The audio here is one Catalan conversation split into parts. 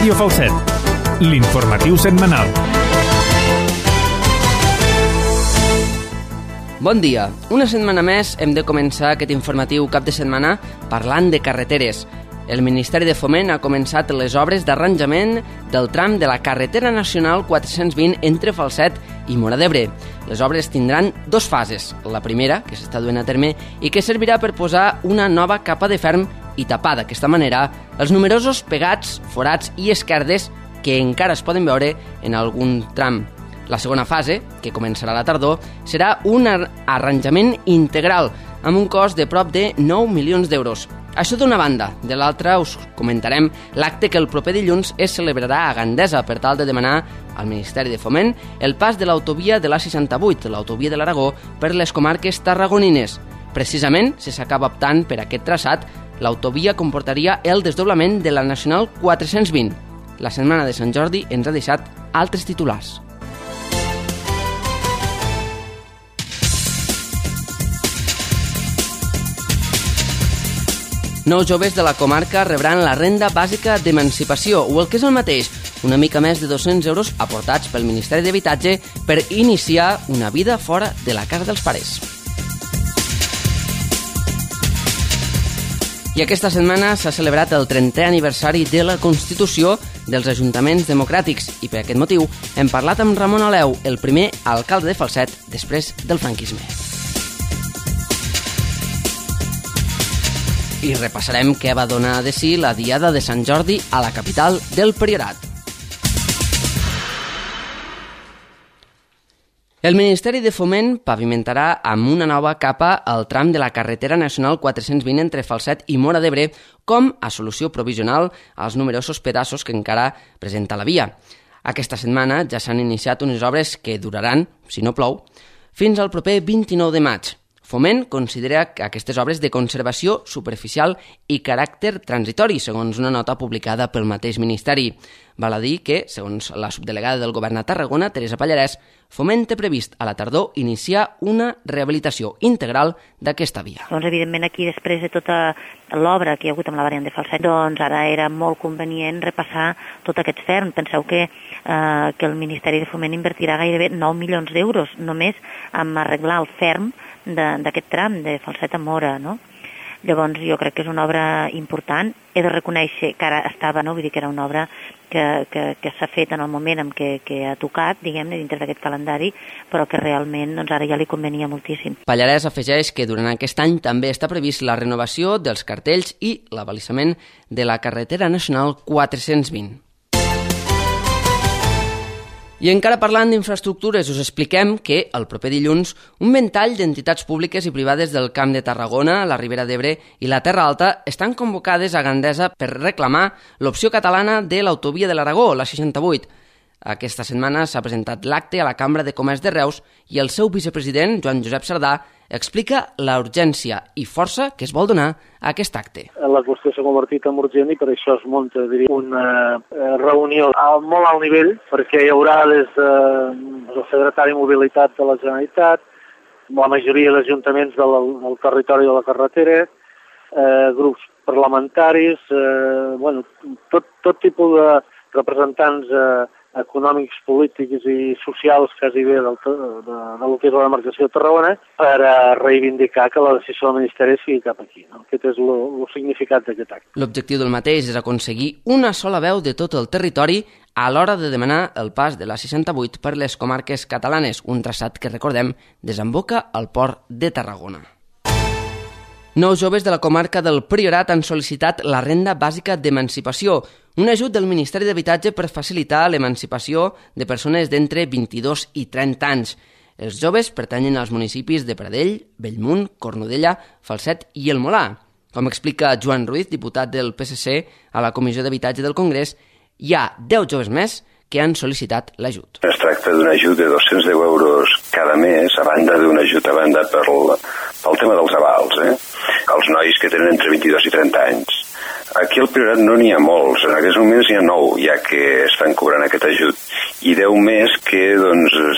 Ràdio Falset, l'informatiu setmanal. Bon dia. Una setmana més hem de començar aquest informatiu cap de setmana parlant de carreteres. El Ministeri de Foment ha començat les obres d'arranjament del tram de la carretera nacional 420 entre Falset i Móra d'Ebre. Les obres tindran dues fases. La primera, que s'està duent a terme i que servirà per posar una nova capa de ferm i tapar d'aquesta manera els numerosos pegats, forats i esquerdes que encara es poden veure en algun tram. La segona fase, que començarà a la tardor, serà un arranjament integral amb un cost de prop de 9 milions d'euros. Això d'una banda. De l'altra us comentarem l'acte que el proper dilluns es celebrarà a Gandesa per tal de demanar al Ministeri de Foment el pas de l'autovia de l'A68, l'autovia de l'Aragó, per les comarques tarragonines. Precisament, si s'acaba optant per aquest traçat, l'autovia comportaria el desdoblament de la Nacional 420. La setmana de Sant Jordi ens ha deixat altres titulars. Nous joves de la comarca rebran la renda bàsica d'emancipació, o el que és el mateix, una mica més de 200 euros aportats pel Ministeri d'Habitatge per iniciar una vida fora de la casa dels pares. I aquesta setmana s'ha celebrat el 30è aniversari de la Constitució dels Ajuntaments Democràtics i per aquest motiu hem parlat amb Ramon Aleu, el primer alcalde de Falset després del franquisme. I repassarem què va donar de si la Diada de Sant Jordi a la capital del Priorat. El Ministeri de Foment pavimentarà amb una nova capa el tram de la carretera nacional 420 entre Falset i Móra d'Ebre com a solució provisional als numerosos pedaços que encara presenta la via. Aquesta setmana ja s'han iniciat unes obres que duraran, si no plou, fins al proper 29 de maig. Foment considera que aquestes obres de conservació superficial i caràcter transitori, segons una nota publicada pel mateix Ministeri. Val a dir que, segons la subdelegada del Govern a Tarragona, Teresa Pallarès, Foment té previst a la tardor iniciar una rehabilitació integral d'aquesta via. Doncs, evidentment, aquí, després de tota l'obra que hi ha hagut amb la variant de Falset, doncs ara era molt convenient repassar tot aquest ferm. Penseu que el Ministeri de Foment invertirà gairebé 9 milions d'euros només en arreglar el ferm d'aquest tram de Falset a Móra, no? Llavors jo crec que és una obra important. He de reconèixer que ara estava, no? Vull dir que era una obra que s'ha fet en el moment en què ha tocat, diguem-ne, dintre d'aquest calendari, però que realment doncs, ara ja li convenia moltíssim. Pallarès afegeix que durant aquest any també està previst la renovació dels cartells i l'abalisament de la carretera nacional 420. I encara parlant d'infraestructures, us expliquem que el proper dilluns un ventall d'entitats públiques i privades del Camp de Tarragona, la Ribera d'Ebre i la Terra Alta estan convocades a Gandesa per reclamar l'opció catalana de l'autovia de l'Aragó, la 68. Aquesta setmana s'ha presentat l'acte a la Cambra de Comerç de Reus i el seu vicepresident, Joan Josep Sardà, explica la urgència i força que es vol donar a aquest acte. La qüestió s'ha convertit en urgent i per això es munta, diria, una reunió molt alt nivell, perquè hi haurà des del secretari de Mobilitat de la Generalitat, la majoria d'ajuntaments del territori de la carretera, grups parlamentaris, tot tipus de representants econòmics, polítics i socials quasi bé del que és la demarcació de Tarragona per reivindicar que la decisió del Ministeri sigui cap aquí. No? Aquest és el significat d'aquest acte. L'objectiu del mateix és aconseguir una sola veu de tot el territori a l'hora de demanar el pas de la 68 per les comarques catalanes, un traçat que, recordem, desemboca al port de Tarragona. 9 joves de la comarca del Priorat han sol·licitat la renda bàsica d'emancipació, un ajut del Ministeri d'Habitatge per facilitar l'emancipació de persones d'entre 22 i 30 anys. Els joves pertanyen als municipis de Pradell, Bellmunt, Cornudella, Falset i el Molà. Com explica Joan Ruiz, diputat del PSC a la Comissió d'Habitatge del Congrés, hi ha 10 joves més que han sol·licitat l'ajut. Es tracta d'un ajut de 210 euros cada mes, a banda d'un ajut a banda pel tema dels avals. Els nois que tenen entre 22 i 30 anys Aquí al Priorat no n'hi ha molts, en aquests moments n'hi ha 9 ja que estan cobrant aquest ajut i 10 més que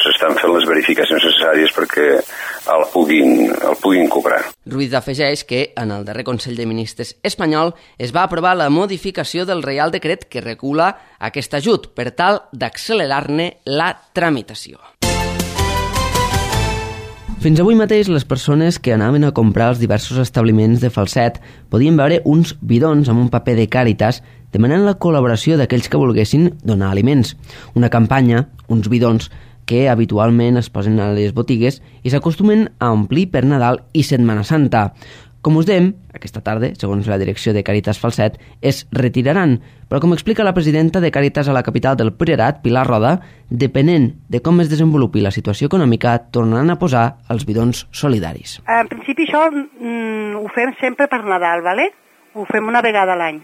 s'estan fent les verificacions necessàries perquè el puguin cobrar. Ruiz afegeix que en el darrer Consell de Ministres espanyol es va aprovar la modificació del Reial Decret que regula aquest ajut per tal d'accelerar-ne la tramitació. Fins avui mateix, les persones que anaven a comprar als diversos establiments de Falset podien veure uns bidons amb un paper de Càritas demanant la col·laboració d'aquells que volguessin donar aliments. Una campanya, uns bidons, que habitualment es posen a les botigues i s'acostumen a omplir per Nadal i Setmana Santa. Com us dèiem, aquesta tarda, segons la direcció de Càritas Falset, es retiraran, però com explica la presidenta de Càritas a la capital del Priorat, Pilar Roda, depenent de com es desenvolupi la situació econòmica, tornaran a posar els bidons solidaris. En principi això ho fem sempre per Nadal, ¿vale? Ho fem una vegada a l'any.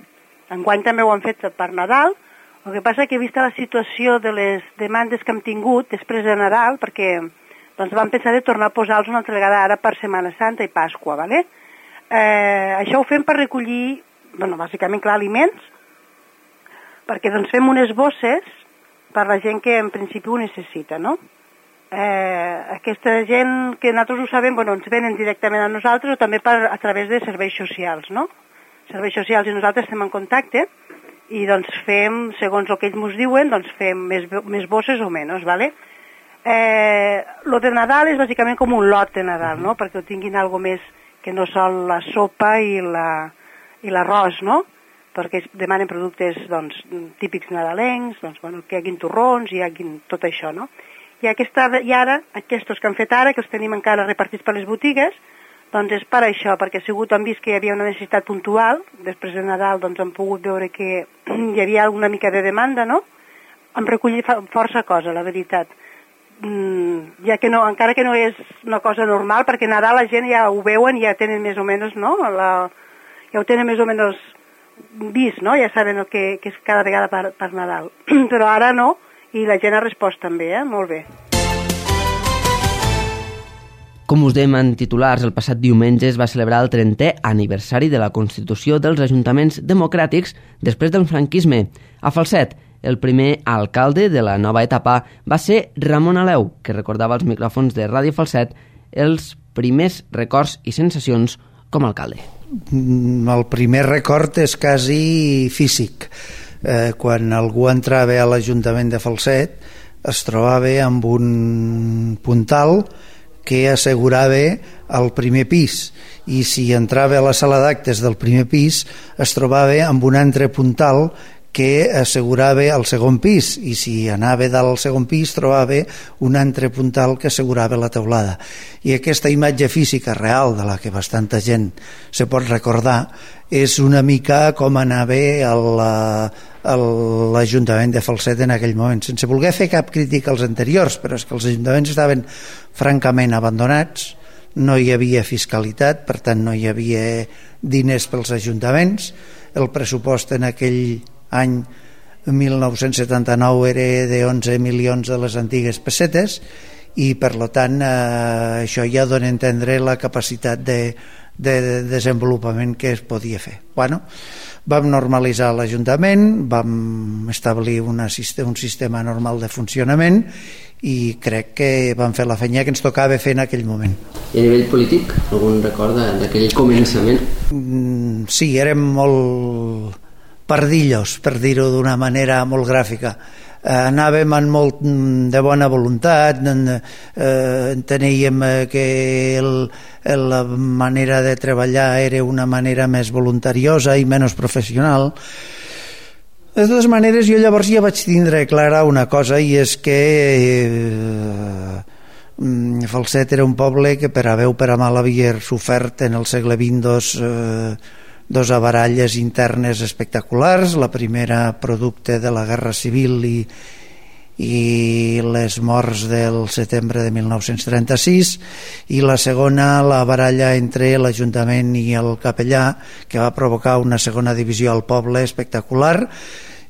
Enguany també ho hem fet per Nadal. El que passa que vista la situació de les demandes que hem tingut després de Nadal, perquè vam pensar de tornar a posar-los una altra vegada ara per Setmana Santa i Pasqua, ¿vale? Això ho fem per recollir, bàsicament, clar, aliments, perquè fem unes bosses per la gent que en principi ho necessita, no? Aquesta gent que nosaltres ho sabem, ens venen directament a nosaltres o també a través de serveis socials, no? Serveis socials i nosaltres estem en contacte i fem, segons el que ells ens diuen, fem més bosses o menys, ¿vale? Lo de Nadal és bàsicament com un lot de Nadal, no? Perquè ho tinguin algo més que no sol la sopa i l'arròs, no? Perquè demanen productes típics nadalencs, que hi hagin torrons, hi hagin tot això, no? I ara, aquests que han fet ara, que els tenim encara repartits per les botigues, és per això, perquè han vist que hi havia una necessitat puntual, després de Nadal han pogut veure que hi havia una mica de demanda, no? Hem recollit força cosa, la veritat. Ja que encara que no és una cosa normal, perquè Nadal la gent ja ho veuen i ja tenen més o menys, no? Ja ho tenen més o menys vist, no? Ja saben el que és cada vegada per Nadal. Però ara no, i la gent ha respost també, molt bé. Com us dèiem en titulars, el passat diumenge es va celebrar el 30è aniversari de la Constitució dels Ajuntaments Democràtics després del franquisme. A Falset, el primer alcalde de la nova etapa va ser Ramon Aleu, que recordava als micròfons de Ràdio Falset els primers records i sensacions com a alcalde. El primer record és quasi físic. Quan algú entrava a l'Ajuntament de Falset es trobava amb un puntal que assegurava el primer pis, i si entrava a la sala d'actes del primer pis es trobava amb un altre puntal que assegurava el segon pis, i si anava dalt al segon pis trobava un altre puntal que assegurava la teulada. I aquesta imatge física real, de la que bastanta gent se pot recordar, és una mica com anava a l'Ajuntament de Falset en aquell moment, sense voler fer cap crítica als anteriors, però és que els ajuntaments estaven francament abandonats, no hi havia fiscalitat, per tant no hi havia diners pels ajuntaments, el pressupost en aquell any 1979 era de 11 milions de les antigues pessetes, i per tant això ja dona a entendre la capacitat de desenvolupament que es podia fer. Vam normalitzar l'Ajuntament, vam establir un sistema normal de funcionament i crec que vam fer la feina que ens tocava fer en aquell moment. I a nivell polític, algun record d'aquell començament? Sí, érem molt pardillos, per dir-ho d'una manera molt gràfica. Anàvem amb molt de bona voluntat, enteníem que la manera de treballar era una manera més voluntariosa i menys professional. De totes maneres, jo llavors ja vaig tindre clara una cosa, i és que Falset era un poble que per a bé o per a mal havia sofert en el segle XX dos avaralles internes espectaculars, la primera producte de la Guerra Civil i les morts del setembre de 1936, i la segona la baralla entre l'Ajuntament i el capellà, que va provocar una segona divisió al poble espectacular,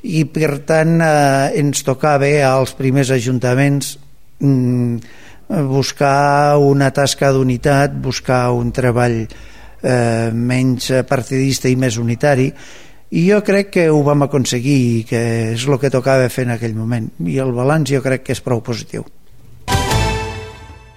i per tant ens tocava als primers ajuntaments buscar una tasca d'unitat, buscar un treball menys partidista i més unitari, i jo crec que ho vam aconseguir i que és el que tocava fer en aquell moment, i el balanç jo crec que és prou positiu.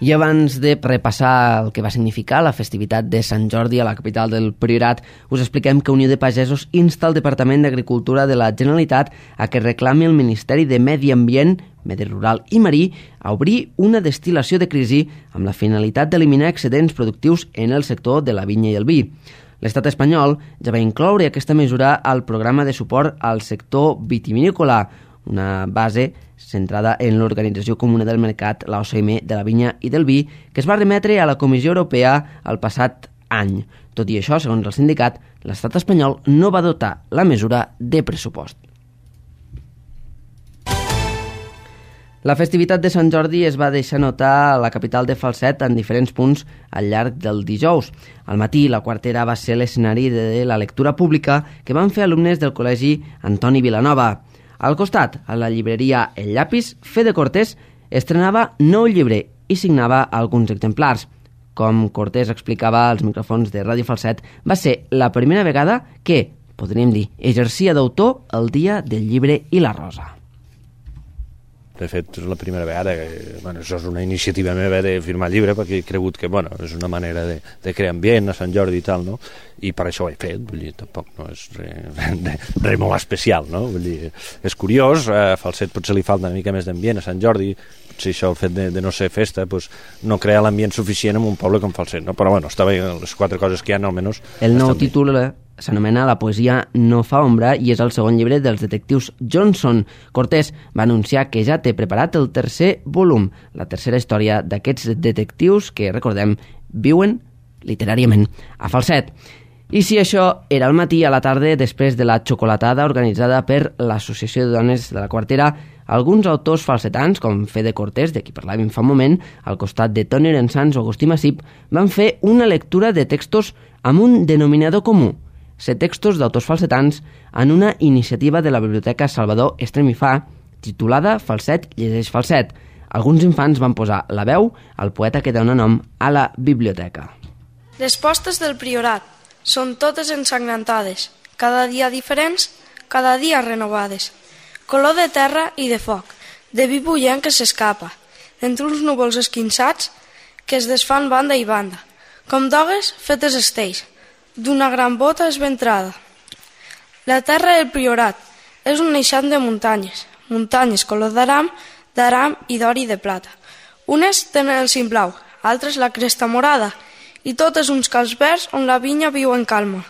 I abans de repassar el que va significar la festivitat de Sant Jordi a la capital del Priorat, us expliquem que Unió de Pagesos insta el Departament d'Agricultura de la Generalitat a que reclami al Ministeri de Medi Ambient, Medi Rural i Marí a obrir una destil·lació de crisi amb la finalitat d'eliminar excedents productius en el sector de la vinya i el vi. L'Estat espanyol ja va incloure aquesta mesura al programa de suport al sector vitivinícola, una base centrada en l'Organització Comuna del Mercat, la OCM, de la vinya i del vi, que es va remetre a la Comissió Europea el passat any. Tot i això, segons el sindicat, l'Estat espanyol no va dotar la mesura de pressupost. La festivitat de Sant Jordi es va deixar notar a la capital de Falset en diferents punts al llarg del dijous. Al matí, la Quartera va ser l'escenari de la lectura pública que van fer alumnes del Col·legi Antoni Vilanova. Al costat, a la llibreria El Llapis, Fede Cortés estrenava nou llibre i signava alguns exemplars. Com Cortés explicava als micròfons de Ràdio Falset, va ser la primera vegada que, podríem dir, exercia d'autor el dia del llibre i la rosa. De fet, és la primera vegada que, això és una iniciativa meva de firmar llibre, perquè he cregut que, és una manera de crear ambient a Sant Jordi i tal, no? I per això ho he fet, vull dir, tampoc no és res molt especial, no? Vull dir, és curiós, a Falset potser li falta una mica més d'ambient, a Sant Jordi, potser això, el fet de no ser festa, no crea l'ambient suficient en un poble com Falset, no? Però està bé, les 4 coses que hi ha, almenys... El nou títol s'anomena La poesia no fa ombra i és el segon llibre dels detectius Johnson. Cortés va anunciar que ja té preparat el tercer volum, la tercera història d'aquests detectius que, recordem, viuen literàriament a Falset. I si això era al matí, a la tarda, després de la xocolatada organitzada per l'Associació de Dones de la Quartera, alguns autors falsetans, com Fede Cortés, de qui parlàvem fa un moment, al costat de Toni Rensans o Agustí Massip, van fer una lectura de textos amb un denominador comú: ser textos d'autors falsetans en una iniciativa de la Biblioteca Salvador Estremifà titulada Falset llegeix Falset. Alguns infants van posar la veu al poeta que dona nom a la biblioteca. Les postes del Priorat són totes ensangrentades, cada dia diferents, cada dia renovades. Color de terra i de foc, de vi bullent que s'escapa, d'entre uns núvols esquinçats que es desfan banda i banda, com dogues fetes estells, d'una gran bota esventrada. La terra del Priorat és un eixam de muntanyes, muntanyes color d'aram i d'or i de plata. Unes tenen el cim blau, altres la cresta morada, i totes uns camps verds on la vinya viu en calma,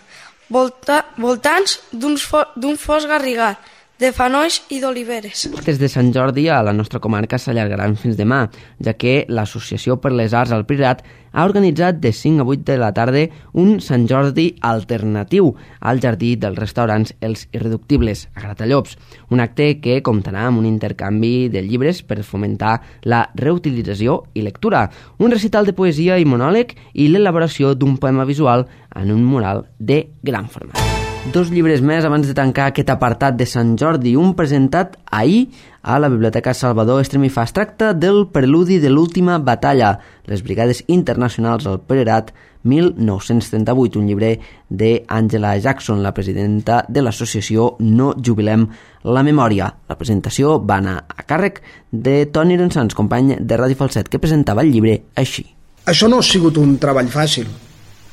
voltants d'un fos garrigat, de fanolls i d'oliveres. Des de Sant Jordi a la nostra comarca s'allargaran fins demà, ja que l'Associació per les Arts al Priorat ha organitzat de 5 a 8 de la tarda un Sant Jordi alternatiu al jardí dels restaurants Els Irreductibles, a Gratallops, un acte que comptarà amb un intercanvi de llibres per fomentar la reutilització i lectura, un recital de poesia i monòleg i l'elaboració d'un poema visual en un mural de gran format. 2 llibres més abans de tancar aquest apartat de Sant Jordi, un presentat ahir a la Biblioteca Salvador Estremifà. Es tracta del preludi de l'última batalla, les Brigades Internacionals al Priorat 1938, un llibre d'Angela Jackson, la presidenta de l'associació No Jubilem la Memòria. La presentació va anar a càrrec de Toni Rensans, company de Ràdio Falset, que presentava el llibre així. Això no ha sigut un treball fàcil.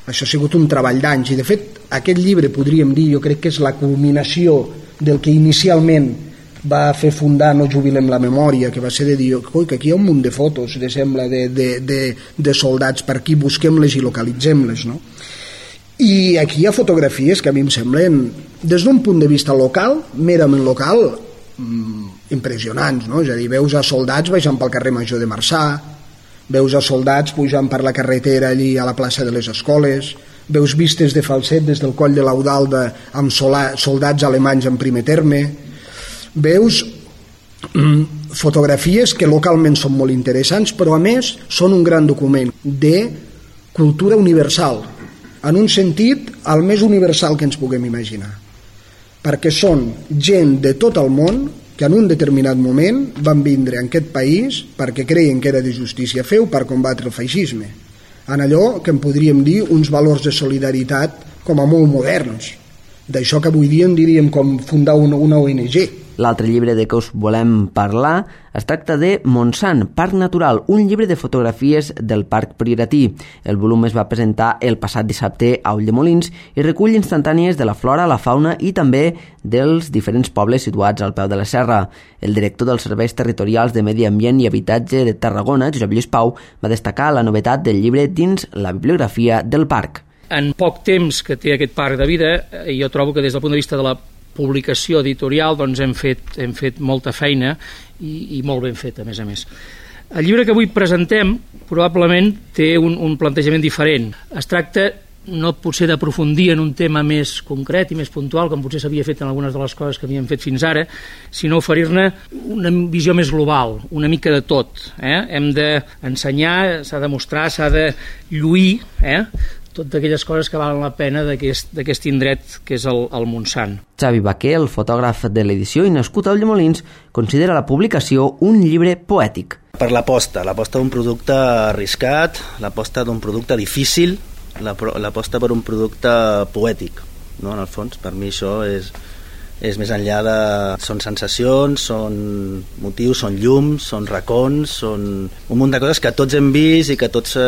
Això ha sigut un treball d'anys i, de fet, aquest llibre, podríem dir, jo crec que és la culminació del que inicialment va fer fundar No Jubilem la Memòria, que va ser de dir, oi, que aquí hi ha un munt de fotos, sembla, de soldats per aquí, busquem-les i localitzem-les, no? I aquí hi ha fotografies que a mi em semblen, des d'un punt de vista local, merament local, impressionants, no? És a dir, veus a soldats baixant pel carrer Major de Marçà, veus a soldats pujant per la carretera allí a la plaça de les Escoles, veus vistes de Falset des del coll de l'Audalda amb soldats alemanys en primer terme, veus fotografies que localment són molt interessants, però a més són un gran document de cultura universal, en un sentit el més universal que ens puguem imaginar, perquè són gent de tot el món que en un determinat moment van vindre en aquest país perquè creien que era de justícia fer-ho per combatre el feixisme, en allò que en podríem dir uns valors de solidaritat com a molt moderns, d'això que avui dia en diríem com fundar una ONG. L'altre llibre de què us volem parlar es tracta de Montsant, Parc Natural, un llibre de fotografies del Parc Prioratí. El volum es va presentar el passat dissabte a Ulldemolins i recull instantànies de la flora, la fauna i també dels diferents pobles situats al peu de la serra. El director dels Serveis Territorials de Medi Ambient i Habitatge de Tarragona, Josep Lluís Pau, va destacar la novetat del llibre dins la bibliografia del parc. En poc temps que té aquest parc de vida, jo trobo que des del punt de vista de la publicació editorial doncs hem fet molta feina i molt ben feta, a més a més. El llibre que avui presentem probablement té un plantejament diferent. Es tracta no potser d'aprofundir en un tema més concret i més puntual, com potser s'havia fet en algunes de les coses que havíem fet fins ara, sinó oferir-ne una visió més global, una mica de tot. Hem d'ensenyar, s'ha de mostrar, s'ha de lluir, tot d'aquelles coses que valen la pena d'aquest indret que és el Montsant. Xavi Baquer, el fotògraf de l'edició i nascut a Ulldemolins, considera la publicació un llibre poètic. Per l'aposta d'un producte arriscat, l'aposta d'un producte difícil, l'aposta per un producte poètic, no? En el fons, per mi això és més enllà de... Són sensacions, són motius, són llums, són racons, són un munt de coses que tots hem vist i que tots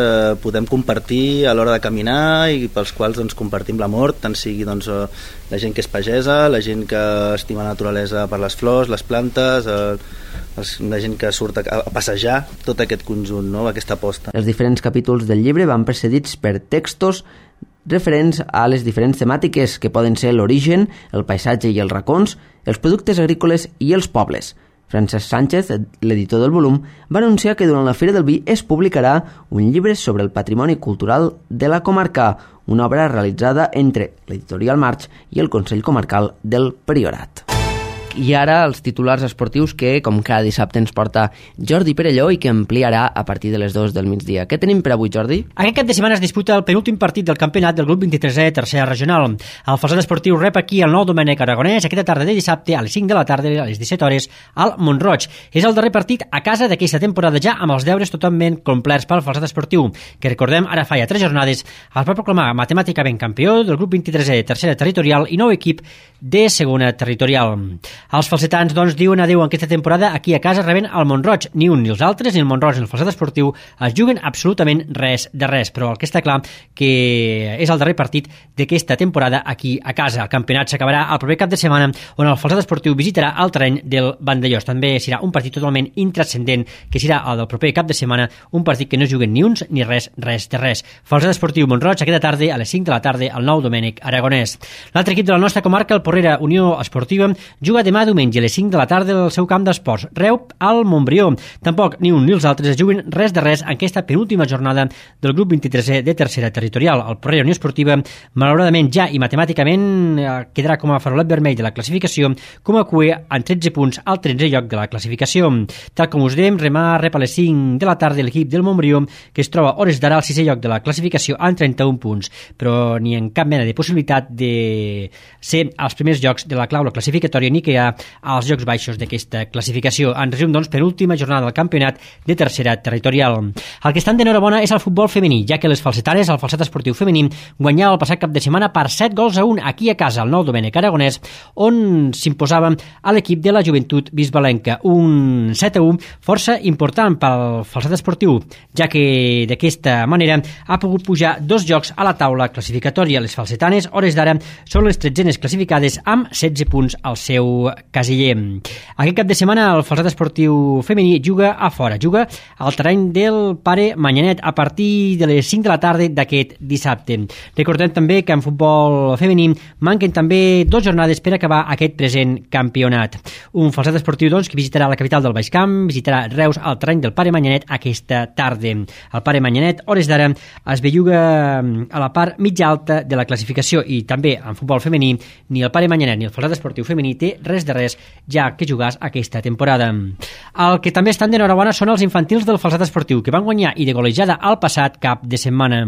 podem compartir a l'hora de caminar i pels quals doncs, compartim l'amor, tant sigui doncs, la gent que és pagesa, la gent que estima la naturalesa per les flors, les plantes, la gent que surt a passejar, tot aquest conjunt, no? Aquesta aposta. Els diferents capítols del llibre van precedits per textos referents a les diferents temàtiques que poden ser l'origen, el paisatge i els racons, els productes agrícoles i els pobles. Francesc Sánchez, l'editor del volum, va anunciar que durant la Fira del Vi es publicarà un llibre sobre el patrimoni cultural de la comarca, una obra realitzada entre l'editorial March i el Consell Comarcal del Priorat. I ara els titulars esportius que, com cada dissabte, ens porta Jordi Perelló i que ampliarà a partir de les 2 del migdia. Què tenim per avui, Jordi? Aquest cap de setmana es disputa el penúltim partit del campionat del grup 23è tercera regional. El Falset Esportiu rep aquí el Nou Domènec Aragonès aquesta tarda de dissabte a les 5 de la tarda a les 17 hores al Mont-roig. És el darrer partit a casa d'aquesta temporada ja amb els deures totalment complerts pel Falset Esportiu, que recordem ara fa ja 3 jornades es va proclamar matemàticament campió del grup 23è tercera territorial i nou equip de segona territorial. Els falsetans, doncs, diuen adeu en aquesta temporada aquí a casa rebent el Mont-roig. Ni un ni els altres, ni el Mont-roig ni el Falset Esportiu es juguen absolutament res de res, però el que està clar que és el darrer partit d'aquesta temporada aquí a casa. El campionat s'acabarà el proper cap de setmana on el Falset Esportiu visitarà el terreny del Vandellós. També serà un partit totalment intranscendent que serà el del proper cap de setmana, un partit que no juguen ni uns ni res de res. Falset Esportiu Mont-roig aquesta tarda a les 5 de la tarda al Nou Domènec Aragonès. L'altre equip de la nostra comarca, el Porrera Unió Esportiva, juga demà diumenge a les 5 de la tarda al seu camp d'esports, Reup al Montbrió. Tampoc ni un ni els altres es juguen res de res en aquesta penúltima jornada del grup 23è de tercera territorial. El Porrera Unió Esportiva, malauradament ja i matemàticament quedarà com a farolet vermell de la classificació, com a cué en 13 punts al 13è lloc de la classificació. Tal com us dèiem, remar rep a les 5 de la tarda l'equip del Montbrió, que es troba hores d'ara al 6è lloc de la classificació amb 31 punts, però ni en cap mena de possibilitat de ser als primers llocs de la clau classificatòria ni que hi ha als llocs baixos d'aquesta classificació. En resum, doncs, penúltima jornada del campionat de tercera territorial. El que estan d'enhorabona és el futbol femení, ja que les falsetanes, el Falset Esportiu femení, guanyava el passat cap de setmana per 7-1 aquí a casa, al Nou Domènec Aragonès, on s'imposava a l'equip de la Joventut Bisbalenca. Un 7-1 força important pel Falset Esportiu, ja que d'aquesta manera ha pogut pujar 2 jocs a la taula classificatòria. Les falsetanes, hores d'ara, són les 13enes classificades amb 16 punts al seu casiller. Aquest cap de setmana el Falset Esportiu femení juga a fora, juga al terreny del Pare Manyanet a partir de les 5 de la tarda d'aquest dissabte. Recordem també que en futbol femení manquen també 2 jornades per acabar aquest present campionat. Un Falset Esportiu, doncs, que visitarà la capital del Baix Camp, visitarà Reus al terreny del Pare Manyanet aquesta tarda. El Pare Manyanet, hores d'ara, es belluga a la part mitja alta de la classificació i també en futbol femení ni el Pare Manyanet ni el Falset Esportiu femení té res res de res, ja que jugàs aquesta temporada. El que també estan d'enhorabona són els infantils del Falset Esportiu, que van guanyar i de golejada al passat cap de setmana.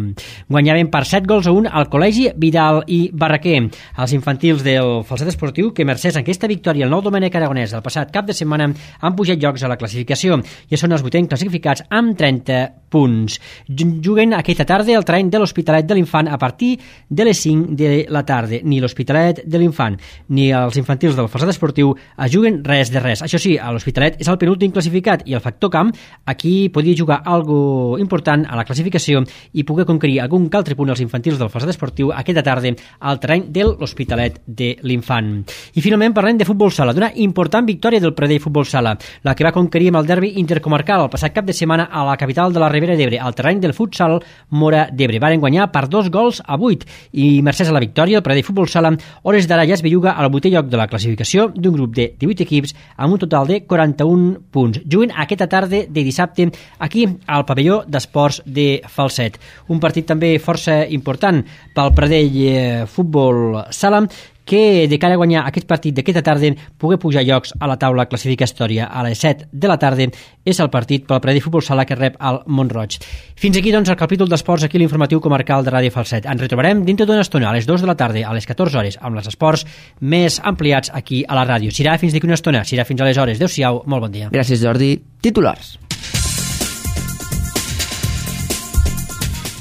Guanyaven per 7-1 al Col·legi Vidal i Barraquer. Els infantils del Falset Esportiu, que mercès en aquesta victòria al Nou Domènec Aragonès del passat cap de setmana, han pujat llocs a la classificació. Ja són els 8 classificats amb 30 punts. Juguen aquesta tarda al terreny de l'Hospitalet de l'Infant a partir de les 5 de la tarda. Ni l'Hospitalet de l'Infant ni els infantils del Falset Esportiu juguen res de res. Això sí, a l'Hospitalet és el penúltim classificat i el factor camp aquí podia jugar algo important a la classificació i poder conquerir algun altre punt als infantils del Falset Esportiu aquesta tarda al terreny de l'Hospitalet de l'Infant. I finalment parlem de futbol sala, d'una important victòria del Pradell Futbol Sala, la que va conquerir amb el derbi intercomarcal el passat cap de setmana a la capital de la Ribera d'Ebre, al terreny del futsal Mora d'Ebre. Varen guanyar per 2-8 i mercès a la victòria el Pradell Futbol Sala, hores d'ara ja es belluga al 8è lloc de la classificació d'un grup de 18 equips amb un total de 41 punts. Juguen aquesta tarda de dissabte aquí al pavelló d'esports de Falset. Un partit també força important pel Pradell Futbol Sala, que de cara a guanyar aquest partit d'aquesta tarda poder pujar llocs a la taula classificatòria. A les 7 de la tarda és el partit pel Pradell Futbol Sala que rep al Mont-roig. Fins aquí, doncs, el capítol d'esports aquí a l'informatiu comarcal de Ràdio Falset. Ens retrobarem dintre d'una estona a les 2 de la tarda, a les 14 hores, amb els esports més ampliats aquí a la ràdio. Serà fins d'aquí una estona, serà fins aleshores. Adéu-siau, molt bon dia. Gràcies, Jordi. Titulars.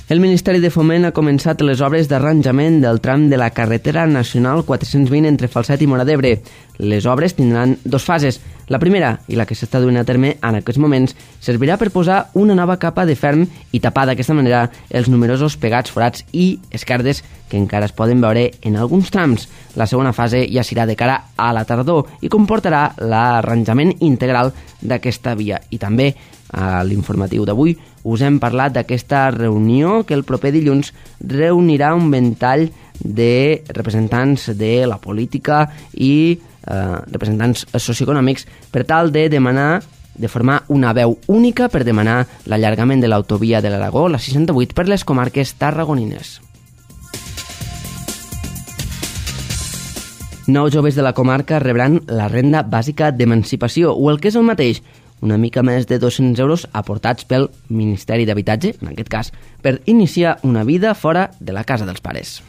El Ministeri de Foment ha començat les obres d'arranjament del tram de la carretera nacional 420 entre Falset i Móra d'Ebre. Les obres tindran 2 fases. La primera, i la que s'està duent a terme en aquests moments, servirà per posar una nova capa de ferm i tapar d'aquesta manera els numerosos pegats, forats i esquerdes que encara es poden veure en alguns trams. La segona fase ja serà de cara a la tardor i comportarà l'arranjament integral d'aquesta via. I també a l'informatiu d'avui us hem parlat d'aquesta reunió que el proper dilluns reunirà un ventall de representants de la política i representants socioeconòmics per tal de demanar, de formar una veu única per demanar l'allargament de l'autovia de l'Aragó, la 68, per les comarques tarragonines. 9 joves de la comarca rebran la renda bàsica d'emancipació, o el que és el mateix, una mica més de 200 euros aportats pel Ministeri d'Habitatge, en aquest cas, per iniciar una vida fora de la casa dels pares.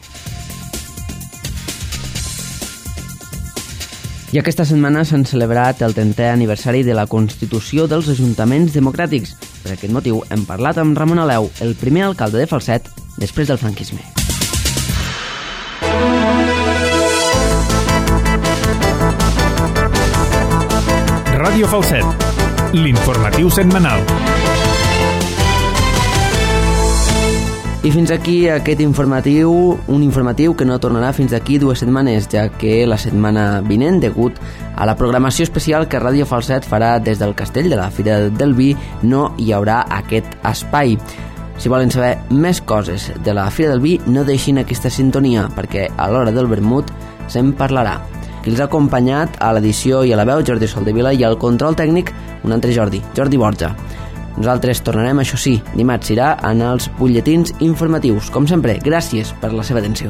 I aquesta setmana s'han celebrat el 30è aniversari de la Constitució dels Ajuntaments Democràtics. Per aquest motiu hem parlat amb Ramon Aleu, el primer alcalde de Falset després del franquisme. Ràdio Falset, l'informatiu setmanal. I fins aquí aquest informatiu, un informatiu que no tornarà fins d'aquí 2 setmanes, ja que la setmana vinent, degut a la programació especial que Ràdio Falset farà des del Castell de la Fira del Vi, no hi haurà aquest espai. Si volen saber més coses de la Fira del Vi, no deixin aquesta sintonia, perquè a l'hora del vermut se'n parlarà. Qui els ha acompanyat a l'edició i a la veu, Jordi Soldevila, i al control tècnic, un altre Jordi Borja. Nosaltres tornarem, això sí, dimarts serà en els butlletins informatius. Com sempre, gràcies per la seva atenció.